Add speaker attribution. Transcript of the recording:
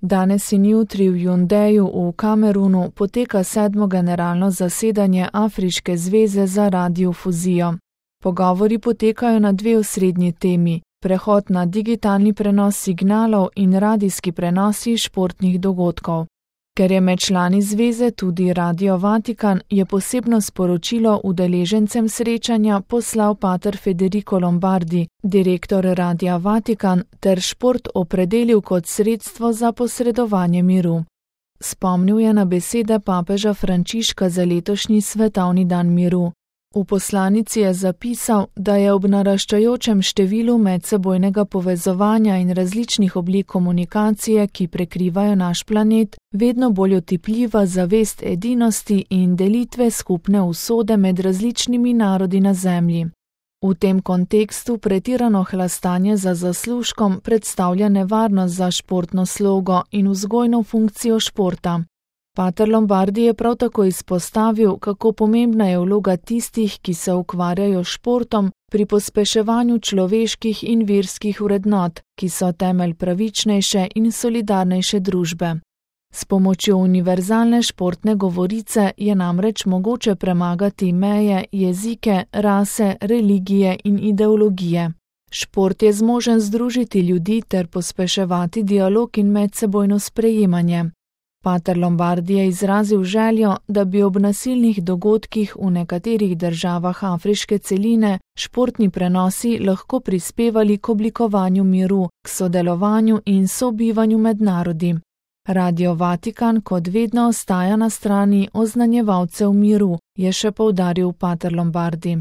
Speaker 1: Danes in jutri v Yaoundeju v Kamerunu poteka 7. generalno zasedanje Afriške zveze za radiofuzijo. Pogovori potekajo na dve osrednji temi: prehod na digitalni prenos signalov in radijski prenosi športnih dogodkov. Ker je med člani zveze tudi Radio Vatikan, je posebno sporočilo udeležencem srečanja poslal pater Federico Lombardi, direktor Radia Vatikan, ter šport opredelil kot sredstvo za posredovanje miru. Spomnil je na besede papeža Frančiška za letošnji svetovni dan miru. V poslanici je zapisal, da je ob naraščajočem številu medsebojnega povezovanja in različnih oblik komunikacije, ki prekrivajo naš planet, vedno bolj otipljiva zavest edinosti in delitve skupne usode med različnimi narodi na Zemlji. V tem kontekstu pretirano hlastanje za zaslužkom predstavlja nevarnost za športno slogo in vzgojno funkcijo športa. Pater Lombardi je prav tako izpostavil, kako pomembna je vloga tistih, ki se ukvarjajo s športom pri pospeševanju človeških in verskih vrednot, ki so temelj pravičnejše in solidarnejše družbe. S pomočjo univerzalne športne govorice je namreč mogoče premagati meje, jezike, rase, religije in ideologije. Šport je zmožen združiti ljudi ter pospeševati dialog in medsebojno sprejemanje. Pater Lombardi je izrazil željo, da bi ob nasilnih dogodkih v nekaterih državah afriške celine športni prenosi lahko prispevali k oblikovanju miru, k sodelovanju in sobivanju med narodi. Radio Vatikan kot vedno ostaja na strani oznanjevalcev miru, je še poudaril pater Lombardi.